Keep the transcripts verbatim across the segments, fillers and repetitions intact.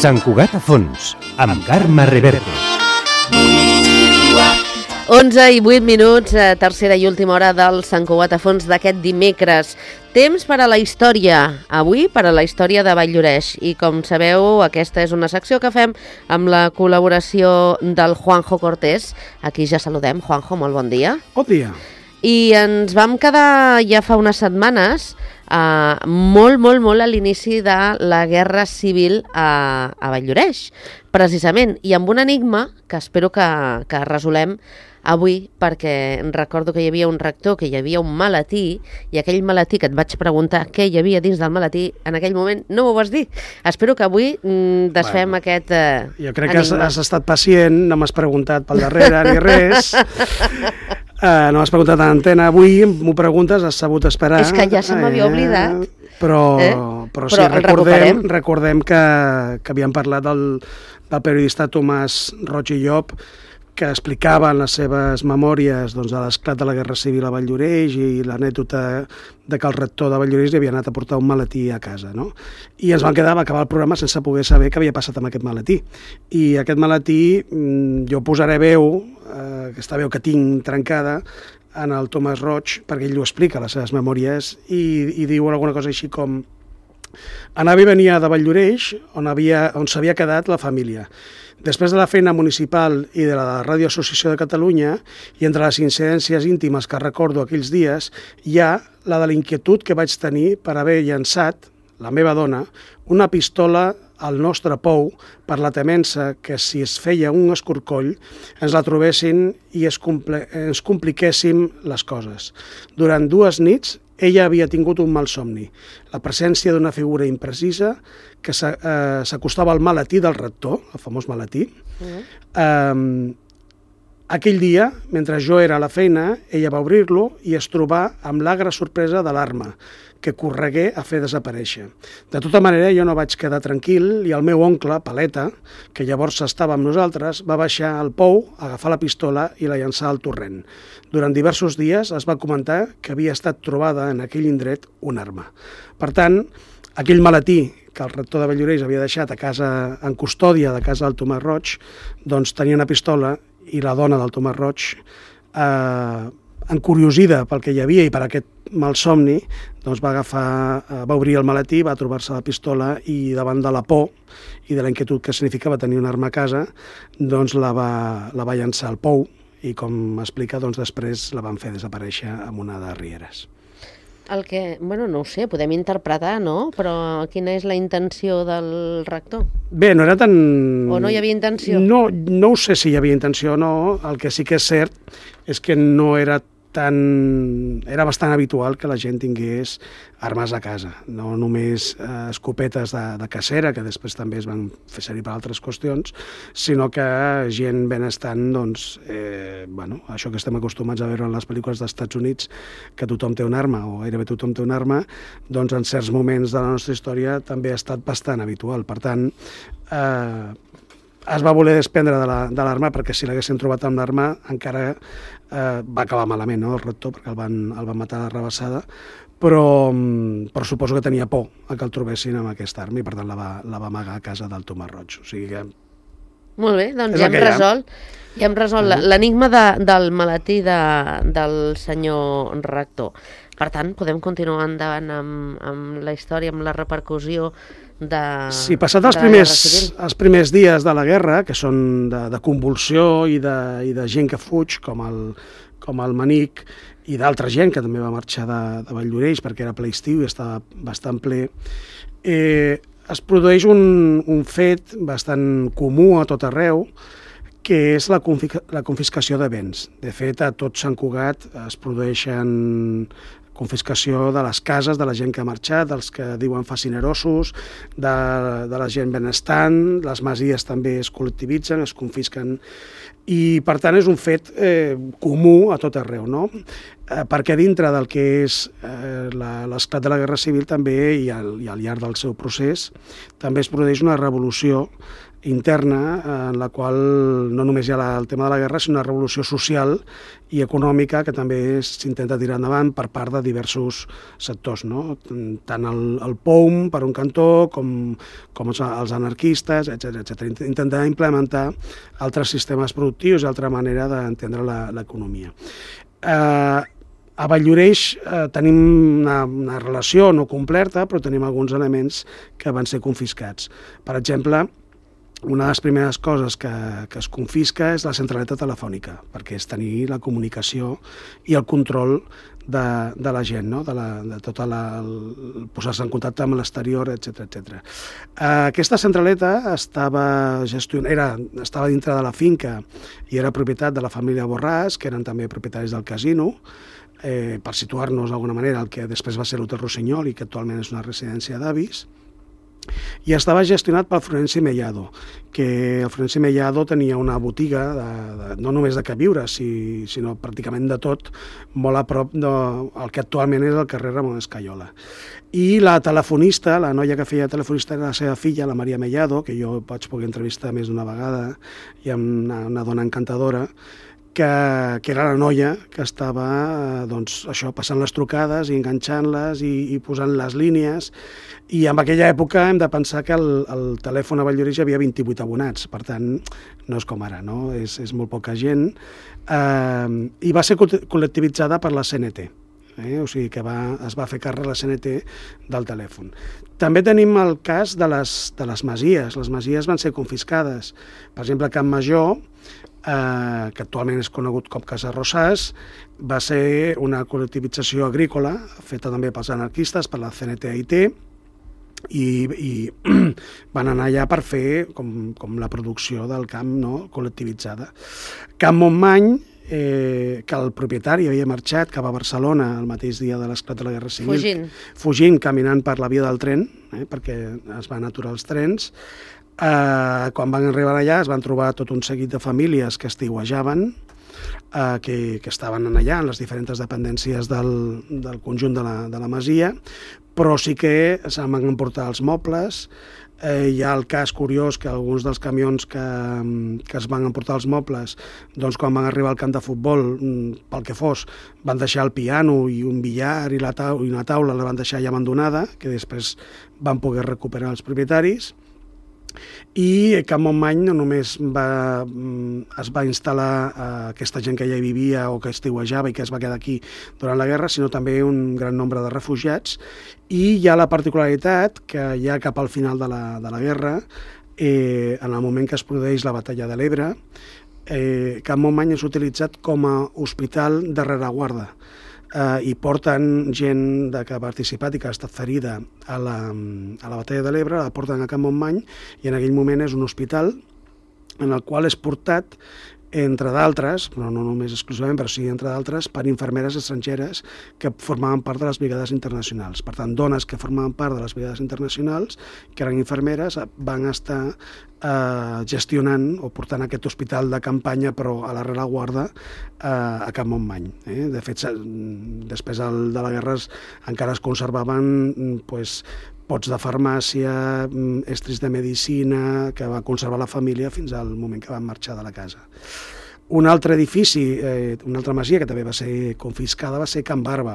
Sant Cugat a fons, amb Carme Reverte. onze i vuit minuts, tercera i última hora del Sant Cugat a fons d'aquest dimecres. Temps per a la història. Avui per a la història de Vall-lloreix. I com sabeu, aquesta és una secció que fem amb la col·laboració del Juanjo Cortés. Aquí ja saludem. Juanjo, molt bon dia. Bon dia. I ens vam quedar ja fa unes setmanes Uh, molt, molt, molt a l'inici de la Guerra Civil a, a Vall-lloreix, precisament, i amb un enigma que espero que, que resolem avui, perquè recordo que hi havia un rector, que hi havia un maletí, i aquell maletí que et vaig preguntar què hi havia dins del maletí, en aquell moment no m'ho vas dir. Espero que avui mm, desfem bueno, aquest uh, jo crec enigma. Que has, has estat pacient, no m'has preguntat pel darrere ni res. Uh, no m'has preguntat en antena avui, m'ho preguntes, has sabut esperar. És que ja se m'havia eh, oblidat. Però, eh? però sí, però recordem, recordem que, que havíem parlat del, del periodista Tomàs Roig i Llop, que explicava en les seves memòries doncs, de l'esclat de la Guerra Civil a Vall-lloreix i l'anècdota de que el rector de Vall-lloreix li havia anat a portar un maletí a casa, no? I ens van quedar, va acabar el programa sense poder saber què havia passat amb aquest maletí. I aquest maletí, jo posaré veu, eh, aquesta veu que tinc trencada, en el Tomàs Roig, perquè ell ho explica a les seves memòries, i, i diu alguna cosa així com: anava i venia de Vall-lloreix, on havia, on s'havia quedat la família. Després de la feina municipal i de la Ràdio Associació de Catalunya, i entre les incidències íntimes que recordo aquells dies, hi ha la de l'inquietud que vaig tenir per haver llançat, la meva dona, una pistola al nostre pou per la temença que si es feia un escorcoll ens la trobessin i es compl- ens compliquéssim les coses. Durant dues nits ella havia tingut un mal somni, la presència d'una figura imprecisa que s'acostava al maletí del rector, el famós maletí. Uh-huh. Um, aquell dia, mentre jo era a la feina, ella va obrir-lo i es trobà amb l'agra sorpresa de l'arma, que corregué a fer desaparèixer. De tota manera, jo no vaig quedar tranquil i el meu oncle, Paleta, que llavors estava amb nosaltres, va baixar al pou, agafar la pistola i la llançar al torrent. Durant diversos dies es va comentar que havia estat trobada en aquell indret una arma. Per tant, aquell maletí que el rector de Vall-lloreix havia deixat a casa, en custòdia de casa del Tomàs Roig, doncs tenia una pistola i la dona del Tomàs Roig, eh, encuriosida pel que hi havia i per aquest malsomni, doncs va agafar, va obrir el maletí, va trobar-se la pistola i davant de la por i de la inquietud que significava tenir una arma a casa, doncs la va, la va llançar al pou i, com explica, doncs després la van fer desaparèixer amb una de rieres. El que, bueno, no ho sé, podem interpretar, no? Però quina és la intenció del rector? Bé, no era tan... O no hi havia intenció? No, no ho sé si hi havia intenció o no. El que sí que és cert és que no era tan... Era bastant habitual que la gent tingués armes a casa, no només eh, escopetes de, de cacera, que després també es van fer servir per altres qüestions, sinó que gent benestant, doncs, eh, bueno, això que estem acostumats a veure en les pel·lícules dels Estats Units, que tothom té una arma, o gairebé tothom té una arma, doncs en certs moments de la nostra història també ha estat bastant habitual. Per tant, eh, es va voler desprendre de l'arma, perquè si l'haguessin trobat amb l'arma encara eh, va acabar malament, no?, el rector, perquè el van, el van matar de rebassada, però, però suposo que tenia por a que el trobessin amb aquesta arma i per tant la va, la va amagar a casa del Tomàs Roig. O sigui que... Molt bé, doncs ja hem resolt, ja hem resolt uh-huh. l'enigma de, del maletí de, del senyor rector. Per tant, podem continuar endavant amb, amb la història, amb la repercussió de... Sí, passat els primers, els primers dies de la guerra, que són de, de convulsió i de, i de gent que fuig, com el, com el Manic, i d'altra gent que també va marxar de, de Vall-lloreix perquè era ple estiu i estava bastant ple, eh, es produeix un, un fet bastant comú a tot arreu, que és la, confisca, la confiscació de béns. De fet, a tot Sant Cugat es produeixen confiscació de les cases de la gent que ha marxat, dels que diuen facinerosos, de, de la gent benestant, les masies també es col·lectivitzen, es confisquen, i per tant és un fet eh, comú a tot arreu, no? Eh, perquè dintre del que és eh, l'esclat de la Guerra Civil també, i al, i al llarg del seu procés, també es produeix una revolució interna, en la qual no només hi ha la, el tema de la guerra, sinó una revolució social i econòmica que també s'intenta tirar endavant per part de diversos sectors, no? Tant el, el P O U M per un cantó com, com els, els anarquistes, etcètera, etcètera. Intentar implementar altres sistemes productius i altra manera d'entendre l'economia. Eh, a Valldoreix eh, tenim una, una relació no completa, però tenim alguns elements que van ser confiscats. Per exemple, una de les primeres coses que, que es confisca és la centraleta telefònica, perquè és tenir la comunicació i el control de, de la gent, no? de, la, de tota la, el posar-se en contacte amb l'exterior, etcètera, etcètera. Aquesta centraleta estava, gestion... era, estava dintre de la finca i era propietat de la família Borràs, que eren també propietaris del casino, eh, per situar-nos d'alguna manera el que després va ser l'Hotel Rossinyol i que actualment és una residència d'avis, i estava gestionat pel Florenci Mellado, que el Florenci Mellado tenia una botiga de, de, no només de queviure, si, sinó pràcticament de tot, molt a prop del que actualment és el carrer Ramon Escaiola. I la telefonista, la noia que feia telefonista era la seva filla, la Maria Mellado, que jo vaig poder entrevistar més d'una vegada, i amb una, una dona encantadora, que, que era la noia que estava doncs, això, passant les trucades i enganxant-les i, i posant les línies. I en aquella època hem de pensar que el, el telèfon a Valldoreix hi havia vint-i-vuit abonats, per tant, no és com ara, no? És, és molt poca gent. Eh, I va ser col·lectivitzada per la C N T. Eh? O sigui que va, es va fer càrrec la C N T del telèfon. També tenim el cas de les, de les masies. Les masies van ser confiscades. Per exemple, Camp Major, eh, que actualment és conegut com Casa Rosàs, va ser una col·lectivització agrícola, feta també pels anarquistes, per la C N T I T, i, i van anar allà per fer com, com la producció del camp, no?, col·lectivitzada. Camp Montmany, eh, que el propietari havia marxat cap a Barcelona el mateix dia de l'esclat de la Guerra Civil. Fugint. Fugint, caminant per la via del tren, eh, perquè es van aturar els trens. Eh, quan van arribar allà es van trobar tot un seguit de famílies que estiuejaven, eh, que, que estaven allà en les diferents dependències del, del conjunt de la, de la masia, però sí que se'n van emportar els mobles. Eh, hi ha el cas curiós que alguns dels camions que, que es van emportar els mobles, doncs quan van arribar al camp de futbol, pel que fos, van deixar el piano i un billar i, la taula, i una taula la van deixar ja abandonada, que després van poder recuperar els propietaris. I Camp Montmany no només va, es va instal·lar eh, aquesta gent que ja hi vivia o que estiuejava i que es va quedar aquí durant la guerra, sinó també un gran nombre de refugiats. I hi ha la particularitat que ja cap al final de la, de la guerra, eh, en el moment que es produeix la batalla de l'Ebre, eh, Camp Montmany és utilitzat com a hospital de rereguarda. Uh, i porten gent de que ha participat i que ha estat ferida a la, a la batalla de l'Ebre, la porten a Camp Montmany i en aquell moment és un hospital en el qual és portat, entre d'altres, però no només exclusivament, però sí entre d'altres, per infermeres estrangeres que formaven part de les brigades internacionals. Per tant, dones que formaven part de les brigades internacionals, que eren infermeres, van estar eh, gestionant o portant aquest hospital de campanya, però a la rereguarda, eh, a Camp Montmany. Eh? De fet, després de la guerra encara es conservaven pues, pots de farmàcia, estris de medicina, que va conservar la família fins al moment que van marxar de la casa. Un altre edifici, eh, una altra masia que també va ser confiscada va ser Can Barba,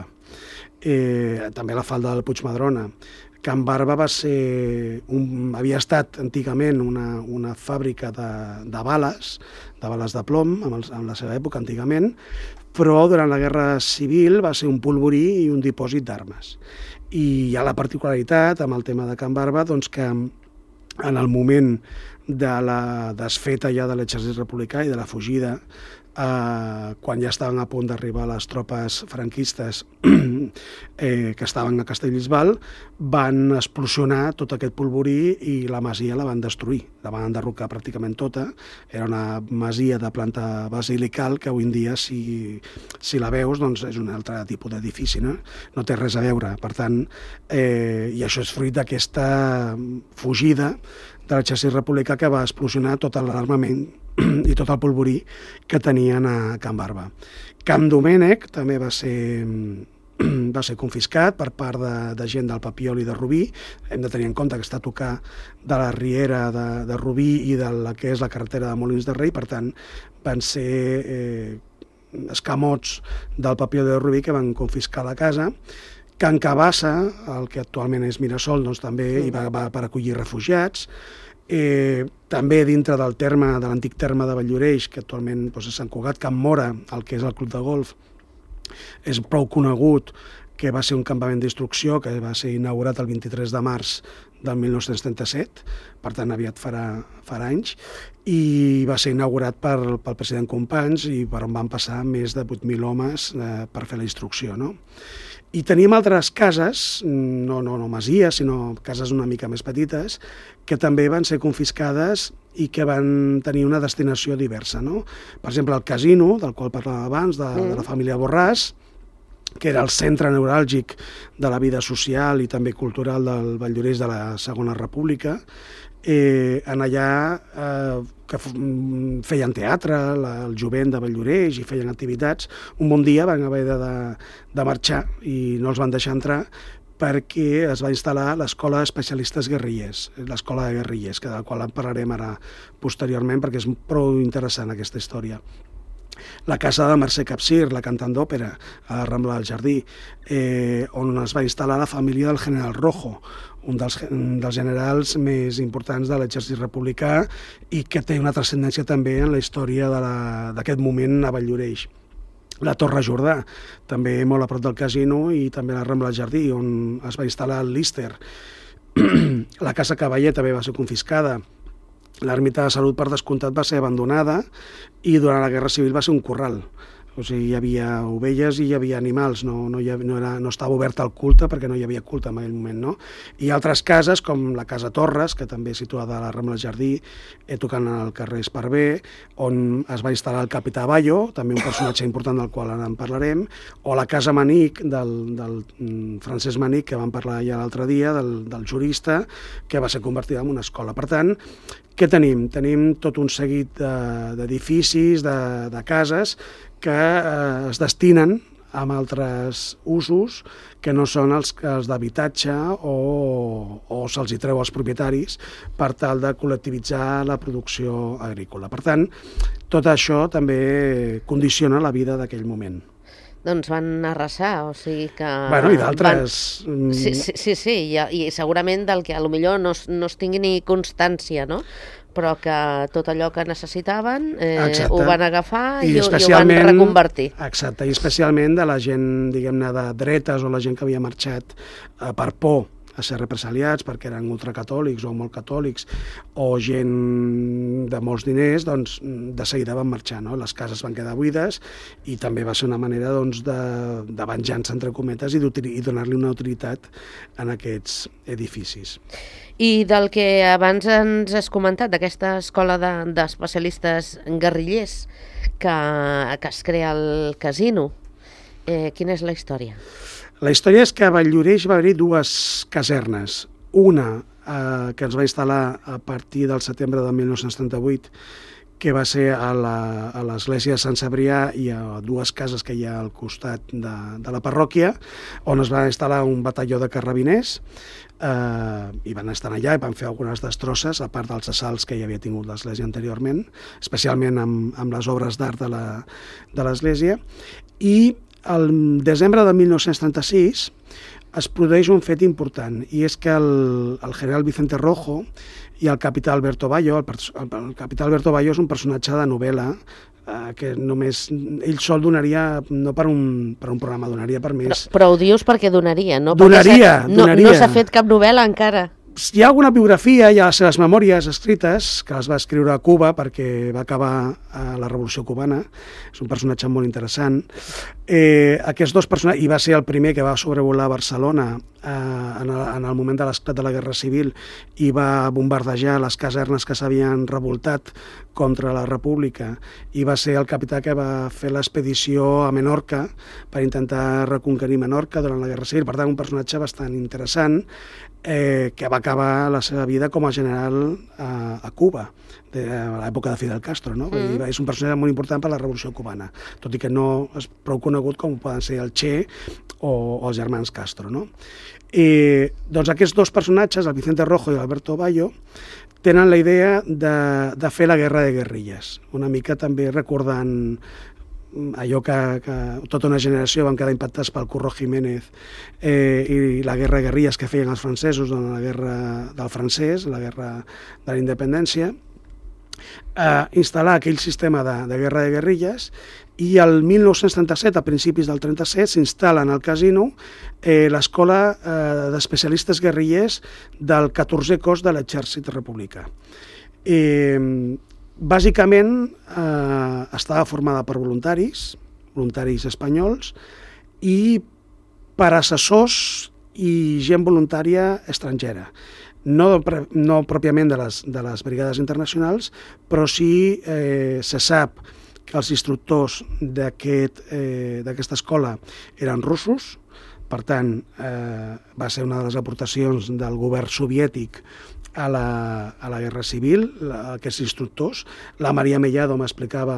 eh, també a la falda del Puigmadrona. Can Barba va ser un, havia estat antigament una, una fàbrica de, de bales, de bales de plom, en, el, en la seva època antigament, però durant la Guerra Civil va ser un polvorí i un dipòsit d'armes. I hi ha la particularitat amb el tema de Can Barba, doncs que en el moment de la desfeta ja de l'exèrcit republicà i de la fugida, eh, quan ja estaven a punt d'arribar les tropes franquistes eh, que estaven a Castellbisbal, van explosionar tot aquest polvorí i la masia la van destruir, la van enderrocar pràcticament tota. Era una masia de planta basilical que avui en dia, si, si la veus, doncs és un altre tipus d'edifici, no? No té res a veure. Per tant, eh, i això és fruit d'aquesta fugida de l'exèrcit republicà que va explosionar tot l'armament i tot el polvorí que tenien a Can Barba. Camp Domènec també va ser va ser confiscat per part de, de gent del Papiol i de Rubí. Hem de tenir en compte que està a tocar de la riera de, de Rubí i de la que és la carretera de Molins de Rei, per tant, van ser eh, escamots del Papiol i de Rubí que van confiscar la casa. Can Cabassa, el que actualment és Mirasol, doncs també hi va, va per acollir refugiats. Eh, també dintre del terme, de l'antic terme de Valldoreix, que actualment doncs, és Sant Cugat, Can Mora, el que és el club de golf, és prou conegut, que va ser un campament d'instrucció que va ser inaugurat el vint-i-tres de març del mil nou-cents trenta-set, per tant aviat farà, farà anys, i va ser inaugurat per, pel president Companys i per on van passar més de vuit mil homes eh, per fer la instrucció, no? I tenim altres cases, no, no, no masies, sinó cases una mica més petites, que també van ser confiscades i que van tenir una destinació diversa, no? Per exemple, el casino, del qual parlàvem abans, de, mm. de la família Borràs, que era el centre neuràlgic de la vida social i també cultural del Valldoreix de la Segona República, eh, en allà eh, que feien teatre, la, el jovent de Valldoreix i feien activitats, un bon dia van haver de, de, de marxar i no els van deixar entrar perquè es va instal·lar l'Escola d'Especialistes Guerrillers, l'Escola de Guerrillers, que del qual en parlarem ara posteriorment perquè és prou interessant aquesta història. La casa de Mercè Capsir, la cantant d'òpera, a la Rambla del Jardí, eh, on es va instal·lar la família del general Rojo, un dels, dels generals més importants de l'exèrcit republicà i que té una transcendència també en la història d'aquest moment a Valldoreix. La Torre Jordà, també molt a prop del casino, i també la Rambla del Jardí, on es va instal·lar el Líster. La Casa Cavaller també va ser confiscada. L'ermita de Salut, per descomptat, va ser abandonada i durant la Guerra Civil va ser un corral. O sigui, hi havia ovelles i hi havia animals, no, no, hi havia, no, era, no estava obert al culte perquè no hi havia culte en aquell moment, no? I altres cases, com la Casa Torres, que també és situada a la Rambla del Jardí, eh, tocant al carrer Esparver, on es va instal·lar el capità Bayo, també un personatge important del qual ara en parlarem, o la Casa Manic, del, del Francesc Manic, que vam parlar ja l'altre dia, del, del jurista, que va ser convertida en una escola. Per tant, què tenim? Tenim tot un seguit d'edificis, de, de, de cases, que eh, es destinen a altres usos que no són els, els d'habitatge o, o se'ls hi treu als propietaris per tal de col·lectivitzar la producció agrícola. Per tant, tot això també condiciona la vida d'aquell moment. Doncs van arrasar, o sigui que... Bueno, i d'altres... Van... Sí, sí, sí, sí, i, i segurament del que potser no, no es tingui ni constància, no? Però que tot allò que necessitaven eh, ho van agafar i, i, ho, i ho van reconvertir. Exacte, i especialment de la gent, diguem-ne, de dretes o la gent que havia marxat eh, per por a ser represaliats perquè eren ultracatòlics o molt catòlics o gent de molts diners, doncs de seguida van marxar, no? Les cases van quedar buides i també va ser una manera doncs, de, de venjança, entre cometes, i, i donar-li una utilitat en aquests edificis. I del que abans ens has comentat, d'aquesta escola d'especialistes de, guerrillers que, que es crea al casino, eh, quina és la història? La història és que a Valldoreix va haver-hi dues casernes. Una eh, que ens va instal·lar a partir del setembre de mil nou-cents trenta-vuit, que va ser a l'església de Sant Cebrià i a dues cases que hi ha al costat de, de la parròquia, on es va instal·lar un batalló de carrabiners, eh, i van estar allà i van fer algunes destrosses, a part dels assalts que hi havia tingut l'església anteriorment, especialment amb, amb les obres d'art de l'església. I el desembre de mil nou-cents trenta-sis es produeix un fet important, i és que el, el general Vicente Rojo i el capità Alberto Bayo, el, el, el capità Alberto Bayo és un personatge de novel·la eh, que només ell sol donaria, no per un, per un programa, donaria per més... Però, però ho dius perquè donaria, no? Donaria, perquè donaria. No, no s'ha fet cap novel·la encara. Hi ha alguna biografia, hi ha les seves memòries escrites, que les va escriure a Cuba perquè va acabar a la Revolució Cubana, és un personatge molt interessant. Eh, aquests dos personatges, i va ser el primer que va sobrevolar Barcelona eh, en, el, en el moment de l'esclat de la Guerra Civil i va bombardejar les casernes que s'havien revoltat contra la República, i va ser el capità que va fer l'expedició a Menorca per intentar reconquerir Menorca durant la Guerra Civil. Per tant, un personatge bastant interessant. eh, que va acabar la seva vida com a general a, a Cuba, de, a l'època de Fidel Castro, no? Mm. I és un personatge molt important per a la Revolució Cubana, tot i que no és prou conegut com poden ser el Che o, o els germans Castro, no? I, doncs aquests dos personatges, el Vicente Rojo i l'Alberto Bayo, tenen la idea de, de fer la guerra de guerrilles, una mica també recordant allò que, que tota una generació van quedar impactats pel Curro Jiménez eh, i la guerra de guerrilles que feien els francesos en la guerra del francès, la guerra de la independència, eh, instal·lar aquell sistema de, de guerra de guerrilles, i el mil nou-cents trenta-set, a principis del trenta-set, s'instal·la en el casino eh, l'escola eh, d'especialistes guerrillers del catorzè cos de l'exèrcit republicà. Eh, Bàsicament eh, estava formada per voluntaris, voluntaris espanyols, i per assessors i gent voluntària estrangera. No, no pròpiament de les, de les brigades internacionals, però sí eh, se sap que els instructors d'aquest, eh, d'aquesta escola eren russos. Per tant, eh, va ser una de les aportacions del govern soviètic a la, a la Guerra Civil, la, aquests instructors. La Maria Mellado m'explicava,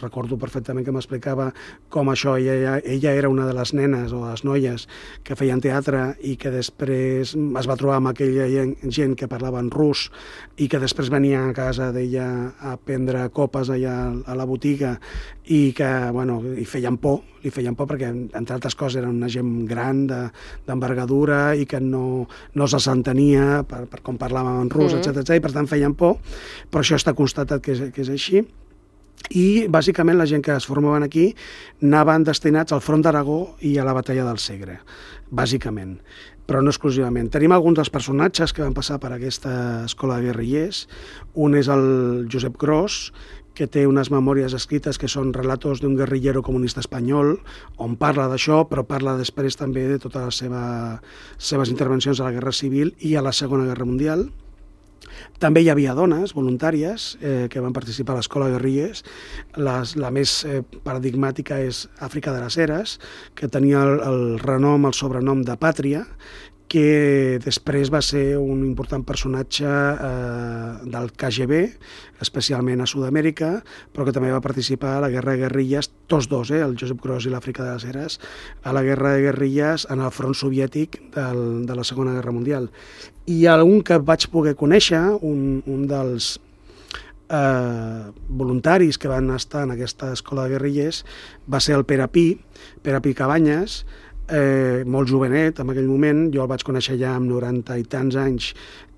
recordo perfectament que m'explicava com això, ella, ella era una de les nenes o les noies que feien teatre i que després es va trobar amb aquella gent que parlava en rus i que després venia a casa d'ella a prendre copes allà a la botiga i que, bueno, li feien por, li feien por perquè, entre altres coses, era una gent gran, d'envergadura, i que no, no se s'entenia per, per com parlaven en rus, mm. etcètera, i per tant feien por, però això està constatat que és, que és així. I, bàsicament, la gent que es formaven aquí anaven destinats al front d'Aragó i a la batalla del Segre, bàsicament, però no exclusivament. Tenim alguns dels personatges que van passar per aquesta escola de guerrillers. Un és el Josep Gros, que té unes memòries escrites que són relatos d'un guerrillero comunista espanyol, on parla d'això, però parla després també de totes les seva, seves intervencions a la Guerra Civil i a la Segona Guerra Mundial. També hi havia dones voluntàries eh, que van participar a l'escola de guerrilles. Les, la més eh, paradigmàtica és Àfrica de les Heres, que tenia el, el renom, el sobrenom de Pàtria, que després va ser un important personatge eh, del K G B, especialment a Sud-amèrica, però que també va participar a la Guerra de Guerrilles, tots dos, eh, el Josep Gros i l'Àfrica de les Heres, a la Guerra de Guerrilles en el front soviètic del, de la Segona Guerra Mundial. I un que vaig poder conèixer, un, un dels eh, voluntaris que van estar en aquesta escola de guerrillers, va ser el Pere Pi, Pere Pi Cabanyes, Eh, molt jovenet en aquell moment. Jo el vaig conèixer ja amb noranta i tants anys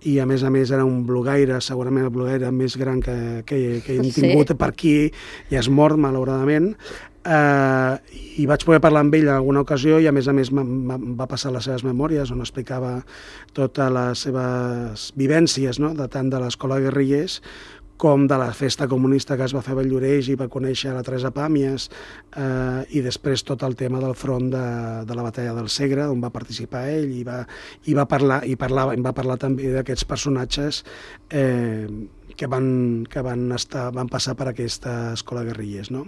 i a més a més era un blogueire, segurament el blogueire més gran que, que, que hem tingut sí. per aquí, i és mort malauradament, eh, i vaig poder parlar amb ell en alguna ocasió i a més a més em va passar les seves memòries on explicava totes les seves vivències, no? De tant de l'escola de guerrillers com de la festa comunista que es va fer a Valldoreix i va conèixer la Teresa Pàmies, eh, i després tot el tema del front de, de la batalla del Segre, on va participar ell i va, i va parlar i parlava, va parlar també d'aquests personatges eh, que, van, que van, estar, van passar per aquesta escola de guerrillers. No?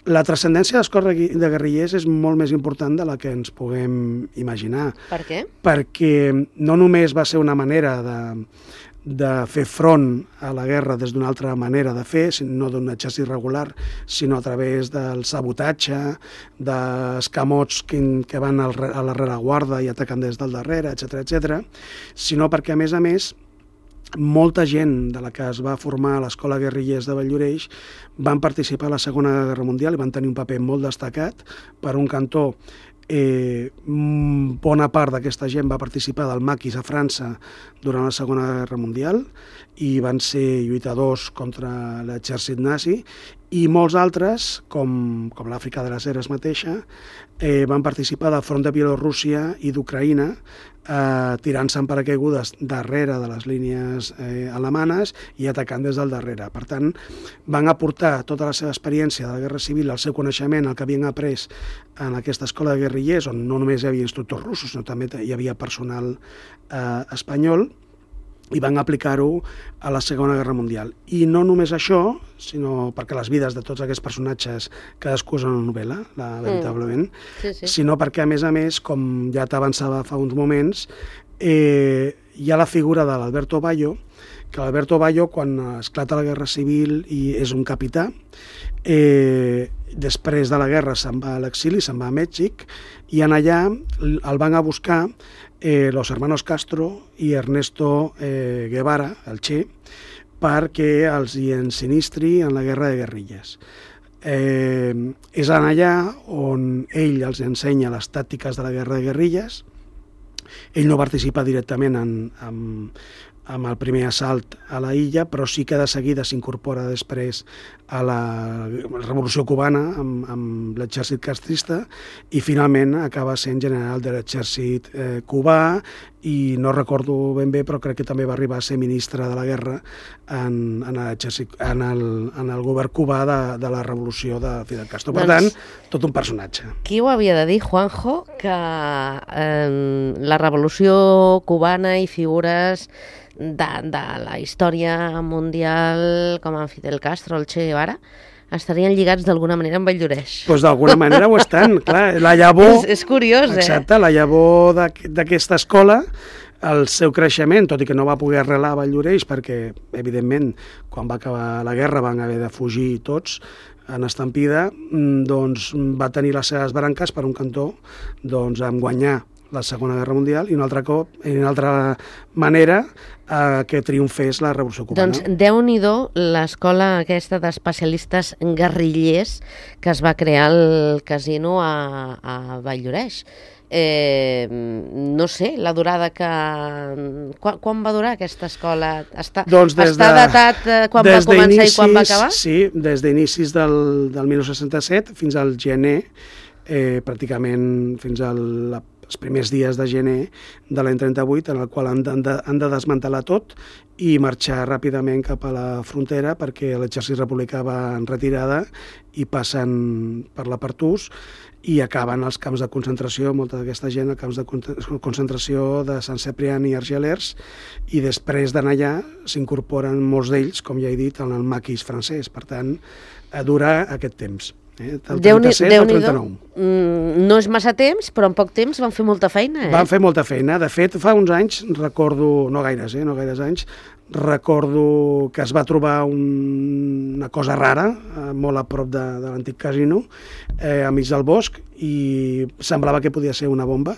La transcendència de l'escola de guerrillers és molt més important de la que ens puguem imaginar. Per què? Perquè no només va ser una manera de de fer front a la guerra des d'una altra manera de fer, no d'un exèrcit regular, sinó a través del sabotatge, d'escamots que, que van al, a la rereguarda i ataquen des del darrere, etcètera, etcètera, sinó perquè, a més a més, molta gent de la que es va formar a l'escola guerrillers de Valldoreix van participar a la Segona Guerra Mundial i van tenir un paper molt destacat. Per un cantó, Eh, bona part d'aquesta gent va participar del maquis a França durant la Segona Guerra Mundial i van ser lluitadors contra l'exèrcit nazi, i molts altres, com, com l'Àfrica de les Heres mateixa, eh, van participar del front de Bielorússia i d'Ucraïna, eh, tirant-se en paracaigudes darrere de les línies eh, alemanes i atacant des del darrere. Per tant, van aportar tota la seva experiència de la Guerra Civil, el seu coneixement, el que havien après en aquesta escola de guerrillers, on no només hi havia instructors russos, sinó també hi havia personal eh, espanyol, i van aplicar-ho a la Segona Guerra Mundial. I no només això, sinó perquè les vides de tots aquests personatges cadascú és una novel·la, la, veritablement, mm. sí, sí. sinó perquè, a més a més, com ja t'avançava fa uns moments, eh, hi ha la figura de l'Alberto Bayo, que l'Alberto Bayo, quan esclata la Guerra Civil i és un capità, eh, després de la guerra se'n va a l'exili, se'n va a Mèxic, i en allà el van a buscar eh, los hermanos Castro i Ernesto eh, Guevara, el Che, perquè els hi ensinistri en la guerra de guerrilles. Eh, és en allà on ell els ensenya les tàctiques de la guerra de guerrilles. Ell no participa directament en, en, amb el primer assalt a la illa, però sí que de seguida s'incorpora després a la Revolució Cubana amb, amb l'exèrcit castrista i finalment acaba sent general de l'exèrcit eh, cubà i no recordo ben bé, però crec que també va arribar a ser ministre de la guerra en, en, en, el, en el govern cubà de, de la revolució de Fidel Castro. Per doncs, tant, tot un personatge. Qui ho havia de dir, Juanjo, que eh, la revolució cubana i figures de, de la història mundial com en Fidel Castro, el Che Guevara, estarien lligats d'alguna manera amb Valldoreix? Doncs pues d'alguna manera ho estan, clar. La llavor... És, és curiós, eh? Exacte, la llavor d'aquesta escola, el seu creixement, tot i que no va poder arrelar a Valldoreix, perquè, evidentment, quan va acabar la guerra van haver de fugir tots en estampida, doncs va tenir les seves branques per un cantó, doncs, amb guanyar la Segona Guerra Mundial i un altre cop, i una altra manera eh, que triomfés la Revolució Cubana. Doncs Déu-n'hi-do l'escola aquesta d'especialistes guerrillers que es va crear al casino a, a Valldoreix. Eh, no sé, la durada que... Quan, quan va durar aquesta escola? Està, doncs està de, datat eh, quan va començar inicis, i quan va acabar? Sí, des d'inicis del, del dinou seixanta-set fins al gener, eh, pràcticament fins al la els primers dies de gener de l'any trenta-vuit, en el qual han de, han de desmantelar tot i marxar ràpidament cap a la frontera perquè l'exèrcit republicà va en retirada i passen per la Partús i acaben als camps de concentració, molta d'aquesta gent, als camps de concentració de Sant Cebrián i Argelers, i després d'anar allà s'incorporen molts d'ells, com ja he dit, en el maquis francès. Per tant, dura aquest temps. Eh, del trenta-set al trenta-nou. Mm, no és massa temps, però en poc temps van fer molta feina. Eh? Van fer molta feina. De fet, fa uns anys, recordo, no gaires, eh, no gaires anys, recordo que es va trobar un, una cosa rara, eh, molt a prop de, de l'antic casino, eh, a mig del bosc, i semblava que podia ser una bomba,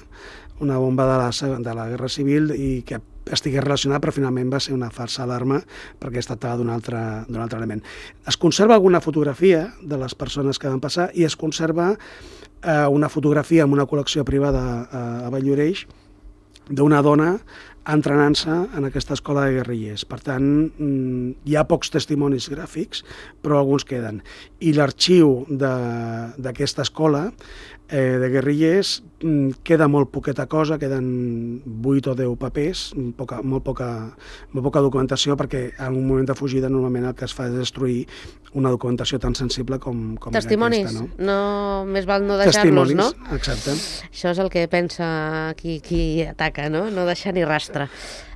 una bomba de la, de la Guerra Civil, i que estigués relacionat, però finalment va ser una falsa alarma perquè es tractava d'un altre, d'un altre element. Es conserva alguna fotografia de les persones que van passar i es conserva eh, una fotografia en una col·lecció privada a, a Valldoreix d'una dona entrenant-se en aquesta escola de guerrillers. Per tant, hi ha pocs testimonis gràfics, però alguns queden. I l'arxiu d'aquesta escola eh, de guerrillers queda molt poqueta cosa, queden vuit o deu papers, poca, molt, poca, molt poca documentació, perquè en un moment de fugida normalment el que es fa és destruir una documentació tan sensible com, com testimonis, aquesta. No? No, més val no deixar-los, no? Exacte. Això és el que pensa qui, qui ataca, no? No deixar ni rastre.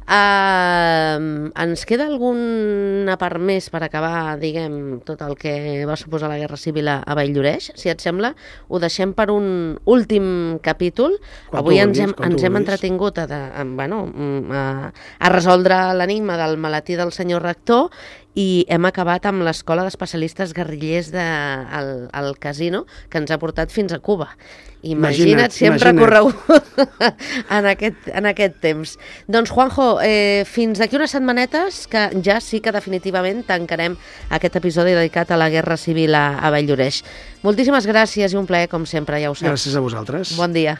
Uh, ens queda alguna part més per acabar, diguem, tot el que va suposar la Guerra Civil a, a Valldoreix? Si et sembla, ho deixem per un últim capítol. Quan Avui ens hem, ens hem entretingut a, a, bueno, a, a resoldre l'enigma del maletí del senyor rector i hem acabat amb l'escola d'especialistes guerrillers de, al, al casino que ens ha portat fins a Cuba. Imagina't, imagina't si hem recorregut en, aquest, en aquest temps. Doncs, Juanjo, eh, fins d'aquí unes setmanetes que ja sí que definitivament tancarem aquest episodi dedicat a la Guerra Civil a, a Valldoreix. Moltíssimes gràcies i un plaer, com sempre, ja ho saps. Gràcies a vosaltres. Bon dia.